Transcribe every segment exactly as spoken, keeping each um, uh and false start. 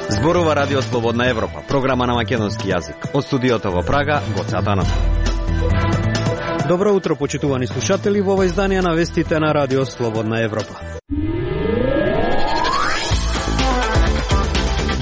Зборува Радио Слободна Европа, програма на македонски јазик. Од студиото во Прага, Гоце Атанасов. Добро утро, почитувани слушатели, во ова издание на вестите на Радио Слободна Европа.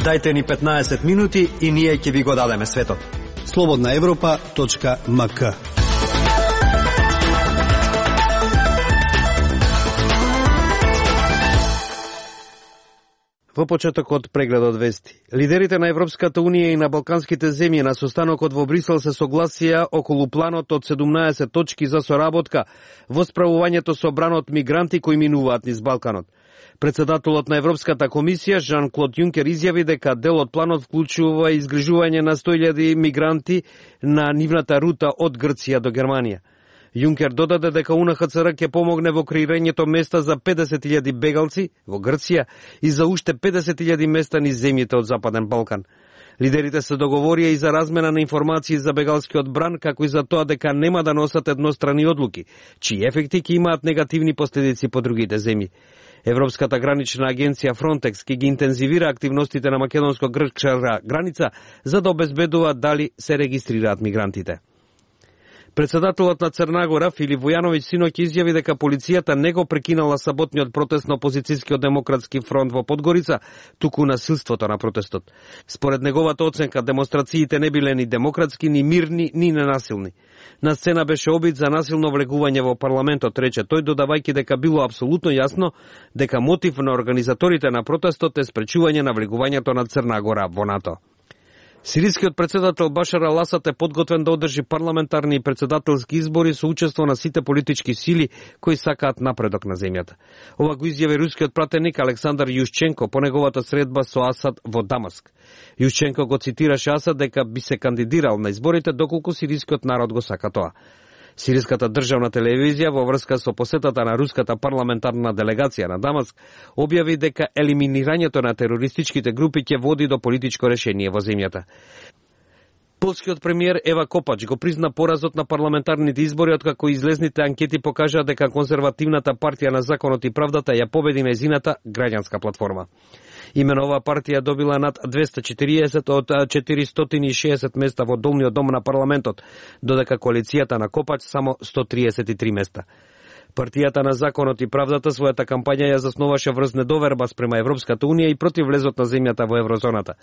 Дајте ни петнаесет минути и ние ќе ви го дадеме светот. слободна европа точка ем ка. Во почетокот прегледот вести. Лидерите на Европската Унија и на балканските земји на состанокот во Брисел се согласија околу планот од седумнаесет точки за соработка во справувањето со бранот мигранти кои минуваат низ Балканот. Председателот на Европската комисија Жан-Клод Јункер изјави дека дел од планот вклучува изгрижување на сто илјади мигранти на нивната рута од Грција до Германија. Јункер додаде дека УН Х Ц Р ќе помогне во креирањето места за педесет илјади бегалци во Грција и за уште педесет илјади места низ земјите од Западен Балкан. Лидерите се договорија и за размена на информации за бегалскиот бран, како и за тоа дека нема да носат еднострани одлуки, чии ефекти ќе имаат негативни последици по другите земји. Европската гранична агенција Фронтекс ќе ги интензивира активностите на македонско-грчка граница за да обезбедува дали се регистрираат мигрантите. Председателот на Црна Гора Филип Војановиќ синоќ изјави дека полицијата не го прекинала саботниот протест на опозицијскиот демократски фронт во Подгорица, туку насилството на протестот. Според неговата оценка, демонстрациите не биле ни демократски, ни мирни, ни ненасилни. На сцена беше обид за насилно влегување во парламентот, рече тој, додавајќи дека било апсолутно јасно дека мотив на организаторите на протестот е спречување на влегувањето на Црна Гора во НАТО. Сирискиот председател Башар ал-Асад е подготвен да одржи парламентарни и председателски избори со учество на сите политички сили кои сакаат напредок на земјата. Ова го изјави рускиот пратеник Александар Јушченко по неговата средба со Асад во Дамаск. Јушченко го цитираше Асад дека би се кандидирал на изборите доколку сирискиот народ го сака тоа. Сириската државна телевизија во врска со посетата на руската парламентарна делегација на Дамаск објави дека елиминирањето на терористичките групи ќе води до политичко решение во земјата. Полскиот премиер Ева Копач го призна поразот на парламентарните избори откако излезните анкети покажаа дека конзервативната партија на Законот и правдата ја победи нејзината граѓанска платформа. Имено оваа партија добила над двесте и четириесет од четиристотини и шеесет места во долниот дом на парламентот, додека коалицијата на Копач само сто триесет и три места. Партијата на Законот и правдата својата кампања ја засноваше врз недоверба спрема Европската Унија и против влезот на земјата во еврозоната.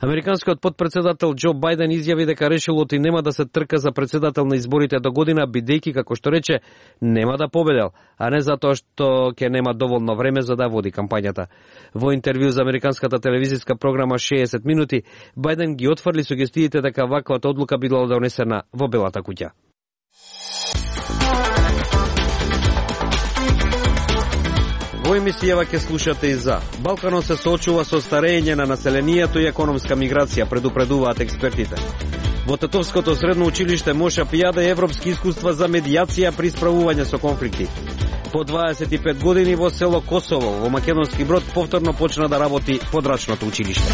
Американскиот потпредседател Џо Бајден изјави дека решилот и нема да се трка за председател на изборите до година, бидејќи, како што рече, нема да победел, а не затоа што ќе нема доволно време за да води кампањата. Во интервју за американската телевизиска програма шеесет минути, Бајден ги отфрли сугестиите дека ваквата одлука била донесена во Белата куќа. Во емисијава ќе слушате и за Балканот се соочува со старење на населението и економска миграција, предупредуваат експертите. Во Тетовското средно училиште Моша Пијаде европски искуства за медијација при справување со конфликти. По дваесет и пет години во село Косово, во Македонски Брод, повторно почна да работи подрачното училиште.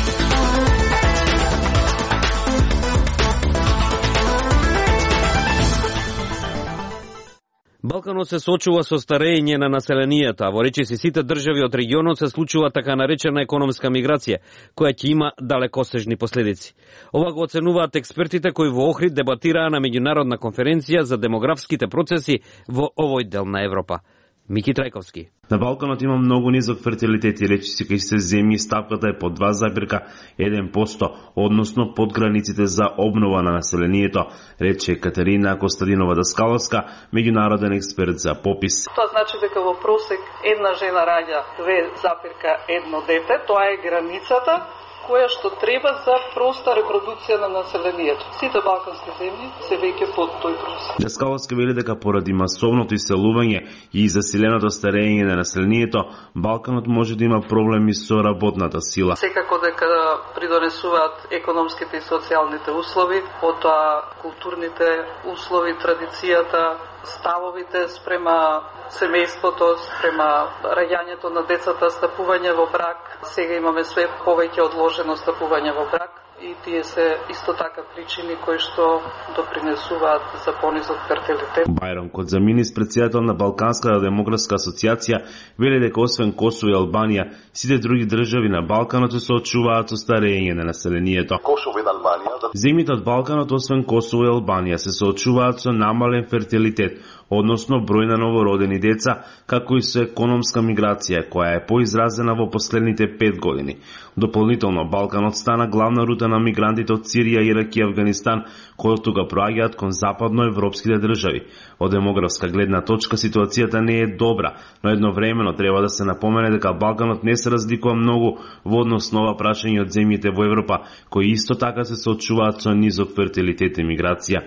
Балканот се соочува со старење на населението, а во речиси сите држави од регионот се случува така наречена економска миграција, која ќе има далекосежни последици. Ова го оценуваат експертите кои во Охрид дебатираа на меѓународна конференција за демографските процеси во овој дел на Европа. Мики Трајковски. На Балканот има многу низок фертилитет и речиси кај се земји ставката е по два запирка еден проценти, односно под границите за обнова на населението, рече Катерина Костадинова Даскаловска, меѓународен експерт за попис. Тоа значи дека во просек една жена раѓа две запирка едно дете, тоа е границата која што треба за проста репродукција на населението. Сите балкански земји се веќе под тој просек. Даскаловска вели дека поради масовното иселување и заселеното старење на населението, Балканот може да има проблеми со работната сила. Секако дека придонесуваат економските и социјалните услови, потоа културните услови, традицијата, ставовите спрема семејството, спрема раѓањето на децата, стапување во брак. Сега имаме све повеќе одложено стапување во брак и тие се исто така причини кои што допринесуваат за понизок фертилитет. Бајрам Кодзаминис, председател на Балканската демографска асоциација, вели дека освен Косово и Албанија, сите други држави на Балканот се соочуваат со старење на населението. Косово и Албанија. Земјите од Балканот, освен Косово и Албанија, се соочуваат со намален фертилитет, односно број на новородени деца, како и со економска миграција, која е поизразена во последните пет години. Дополнително, Балканот стана главна рута на мигрантите од Сирија, Ирак и Авганистан, кои од тука проаѓаат кон западноевропските држави. Од демографска гледна точка ситуацијата не е добра, но едновремено треба да се напомене дека Балканот не се разликува многу во однос на ова прашање од земјите во Европа, кои исто така се соочуваат со низок фертилитет и миграција.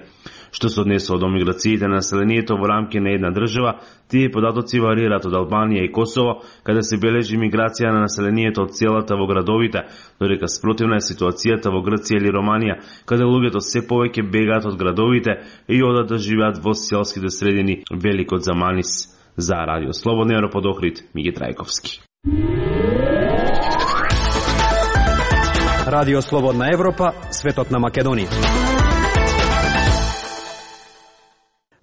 Што се однесува до миграциите на населението во рамки на една држава, тие податоци варираат од Албанија и Косово, каде се бележи миграција на населението од селата во градовите, додека спротивна е ситуацијата во Грција или Романија, каде луѓето се повеќе бегаат од градовите и одат да живеат во селските средини, вели Кодзаминис. За Радио Слободна Европа од Охрид, Миги Трајковски. Радио Слободна Европа, светот на Македонија.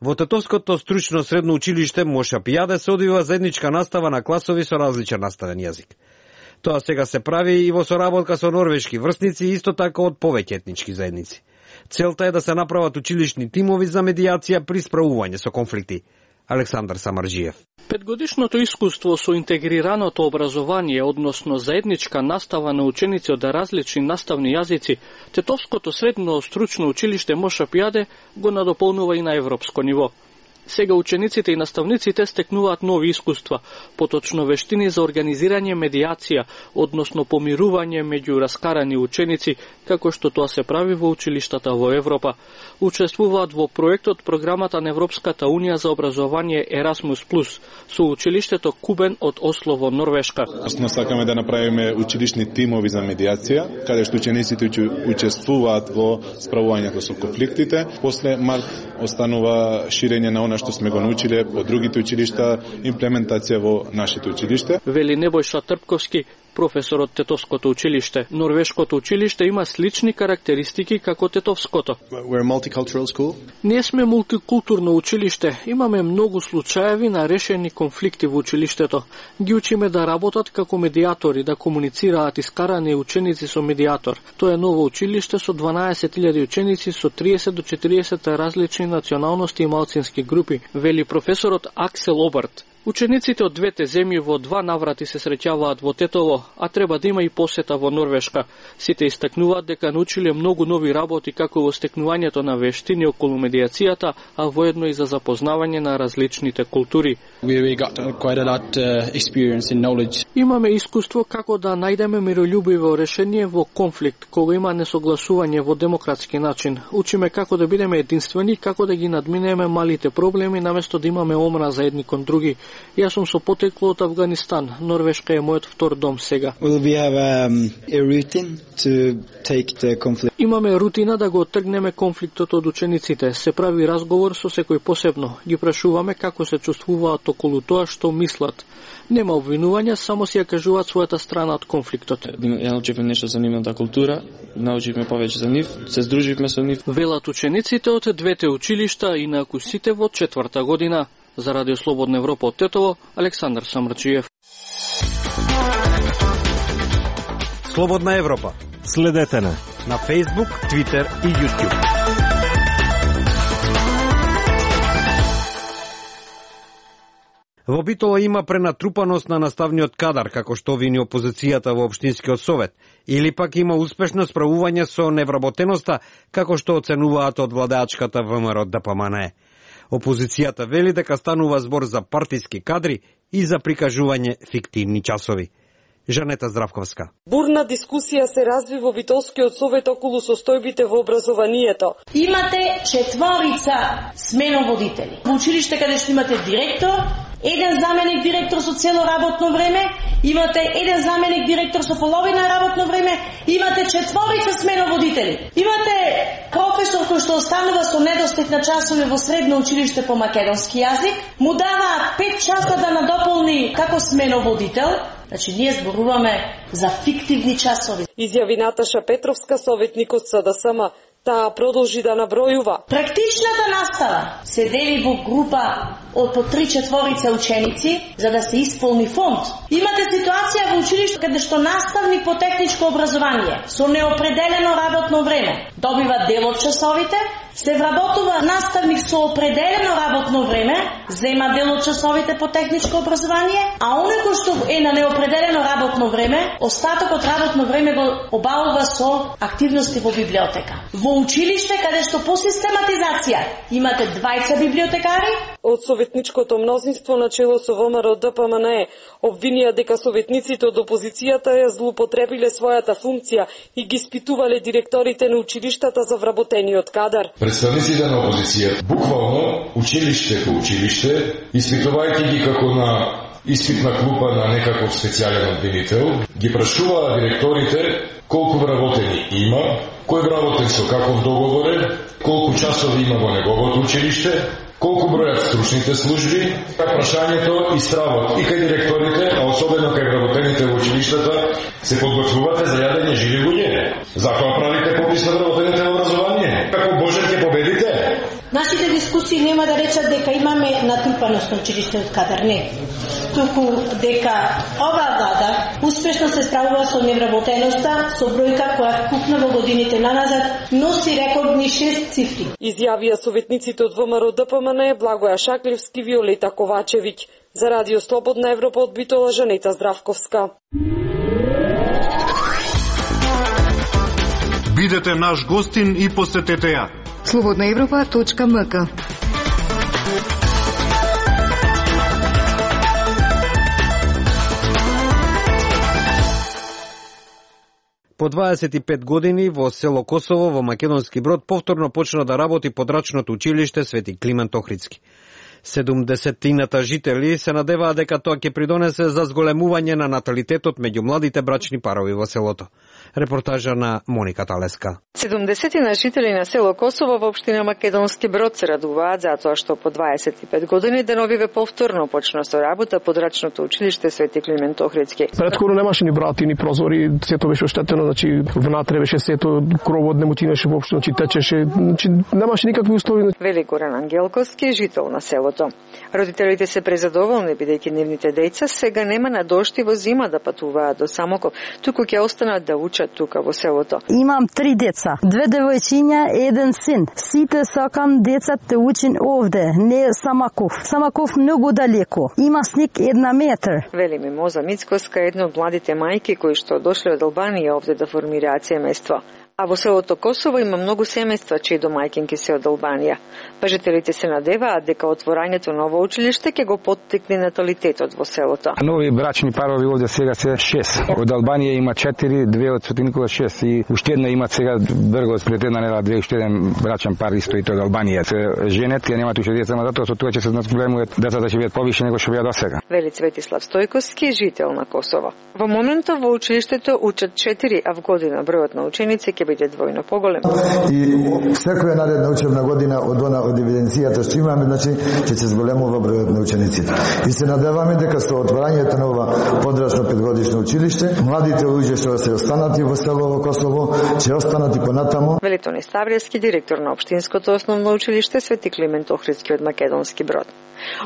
Во Тетовското стручно средно училиште Моша Пијаде се одвива заедничка настава на класови со различен наставен јазик. Тоа сега се прави и во соработка со норвешки врсници и исто така од повеќе етнички заедници. Целта е да се направат училишни тимови за медијација при справување со конфликти. Александар Самарджиев. Петгодишното искуство со интегрираното образование, односно заедничка настава на ученици од различни наставни јазици, Тетовското средно стручно училиште Моша Пијаде го надополнува и на европско ниво. Сега учениците и наставниците стекнуваат нови искуства, поточно вештини за организирање медијација, односно помирување меѓу раскарани ученици, како што тоа се прави во училиштата во Европа. Учествуваат во проектот програмата на Европската унија за образование Erasmus Plus со училиштето Кубен од Осло во Норвешка. Осно сакаме да направиме училишни тимови за медијација, каде што учениците учествуваат во справувањето со конфликтите. После март останува ширење на она што сме го научиле од другите училишта, имплементација во нашите училиште. Вели Небојша Трпковски, професор од Тетовското училиште. Норвешкото училиште има слични карактеристики како Тетовското. Ние сме мултикултурно училиште. Имаме многу случаеви на решени конфликти во училиштето. Ги учиме да работат како медијатори, да комуницираат искарани ученици со медијатор. Тоа е ново училиште со дванаесет илјади ученици со триесет до четириесет различни националности и малцински групи, вели професорот Аксел Оберт. Учениците од двете земји во два наврати се среќаваат во Тетово, а треба да има и посета во Норвешка. Сите истакнуваат дека научиле многу нови работи како во стекнувањето на вештини околу медијацијата, а воедно и за запознавање на различните култури. Имаме искуство како да најдеме мирољубиво решение во конфликт, кога има несогласување во демократски начин. Учиме како да бидеме единствени, како да ги надминеме малите проблеми, наместо да имаме омра за едни кон други. Јас сум со потекло од Авганистан. Норвешка е мојот втор дом сега. Um, Имаме рутина да го отргнеме конфликтот од учениците. Се прави разговор со секој посебно. Ги прашуваме како се чувствуваат околу тоа што мислат. Нема обвинување, само си ја кажуваат својата страна од конфликтот. Ја научивме нешто за нивната култура, научивме повеќе за нив, се здруживме со нив. Велат учениците од двете училишта и на акусите во четврта година. За Радио Слободна Европа од Тетово, Александар Самарджиев. Слободна Европа. Следете на на Facebook, Twitter и YouTube. Во Битола има пренатрупаност на наставниот кадар, како што вини опозицијата во Општинскиот совет, или пак има успешно справување со невработеноста, како што оценуваат од владеачката ВМРО ДПМНЕ. Опозицијата вели дека станува збор за партиски кадри и за прикажување фиктивни часови. Жанета Здравковска. Бурна дискусија се разви во Битолскиот совет околу состојбите во образованието. Имате четворица сменоводители. Во училиште каде што имате директор, еден заменик директор со цело работно време, имате еден заменик директор со половина работно време, имате четворица сменоводители. Имате професор кој што останува со недостиг на часови во средно училиште по македонски јазик, му дава пет часа да надополни како сменоводител. Значи, ние зборуваме за фиктивни часови. Изјави Наташа Петровска, советник од СДСМ. Таа продолжи да набројува. Практичната настава се дели во група од по три четворица ученици за да се исполни фонд. Имате ситуација во училиште каде што наставник по техничко образование со неопределено работно време добива дел од часовите, се вработува наставник со определено работно време, зема дел од часовите по техничко образование, а оној кој што е на неопределено работно време, остатокот работно време го обавува со активности во библиотека. Во училиште каде што по систематизација имате дваесет библиотекари, од советничкото мнозинство на чело со ВМРО Д П М Н Е обвинија дека советниците од опозицијата ја злоупотребиле својата функција и ги испитувале директорите на училиштата за вработениот кадар. Представниците на опозицијата буквално училиште по училиште, испитувајќи ги како на испитна клупа на некаков специјален обвинител, ги прашуваа директорите колку вработени има, кој вработен со каков договор е, колку часови има во неговото училиште, колку бројат стручните служби, прашањето и стравот и кај директорите, а особено кај вработените во училиштата, се подготвувате за јадење живи луѓе. Затоа правите попис на вработените во образование. Како Боже ќе победите? Нашите дискусии нема да речат дека имаме натрупаност на училиштниот кадар, не. Туку дека оваа влада успешно се справува со невработеноста, со бројка која купна во годините наназад носи рекордни шест цифри. Изјавија советниците од ВМРО Д П М Н Е Благоја Шаклевски, Виолета Ковачевиќ. За Радио Слободна Европа од Битола, Жанета Здравковска. Бидете наш гостин и посетете ја. слободна европа точка м к. По дваесет и пет години во село Косово во Македонски Брод повторно почна да работи подрачното училиште Свети Климент Охридски. седумдесетината жители се надеваа дека тоа ќе придонесе за зголемување на наталитетот меѓу младите брачни парови во селото. Репортажа на Моника Талеска. седумдесетина жители на село Косово во општина Македонски Брод се радуваат затоа што по дваесет и пет години деновиве повторно почна со работа подрачното училиште Свети Климент Охридски. Предходно немаше ни врати, ни прозори, сето беше оштетено, значи внатре беше сето, кровот не му чинеше воопшто, значи течеше, значи немаше никакви услови. Вели Горан Ангелковски, жител на селото. Родителите се презадоволни бидејќи нивните деца сега нема надошти во зима да патуваат до Самоков, туку ќе останат да учат тука во селото. Имам три деца, две девојчиња, еден син. Сите сакам децата учин овде, не Самоков. Самоков многу далеко. Има снег една метар. Вели Мимоза Мицкоска, една од младите мајки кои што дошле од Албанија овде да формираат семејство. А во селото Косово има многу семејства чии домаќинки се од Албанија. Па жителите се надеваат дека отворањето на ово училиште ќе го поттикне наталитетот во селото. Нови брачни парови овде сега се шест. Од Албанија има четири, две од Свети Никола шест и уште една има сега Бргот пред една недела две уште еден брачен пар исто и тоа од Албанија. Се женет, ја немаат уште деца, но затоа со тоа ќе се зголемуваат децата ќе бидат повише него што беа досега. Вели Цветислав Стојковски, жител на Косово. Во моментот во училиштето учат четири, а в година бројот на ученици ќе биде двојно поголем. И секоја наредна учебна година од она од евиденцијата што имаме, значи ќе се зголемува бројот на учениците. И се надеваме дека со отворањето на ова подрачно петгодишно училиште, младите луѓе што се останати во село Косово, ќе останати понатаму. Вели Тони Ставриевски, директор на општинското основно училиште Свети Климент Охридски од Македонски Брод.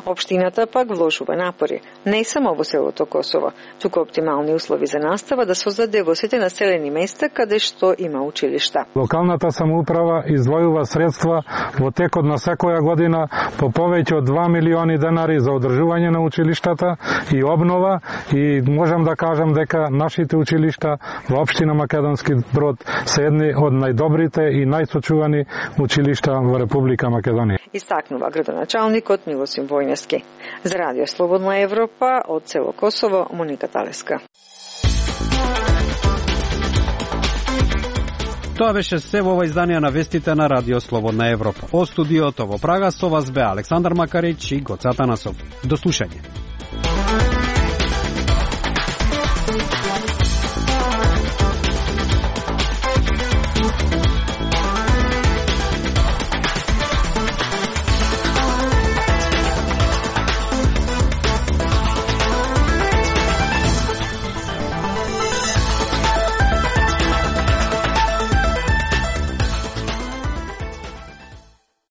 Општината пак вложува напори, не само во селото Косово, туку оптимални услови за настава да создаде во сите населени места каде што има училишта. Локалната самоуправа издвојува средства во текот на секоја година по повеќе од два милиони денари за одржување на училиштата и обнова, и можам да кажам дека нашите училишта во општина Македонски Брод се едни од најдобрите и најсочувани училишта во Република Македонија. Истакнува градоначалникот Милосим Војнески. За Радио Слободна Европа од село Косово, Моника Талеска. Тоа беше се во ова издание на вестите на Радио Слободна Европа. О студиото во Прага со вас бе Александар Макарич и Гоце Атанасов. До слушање.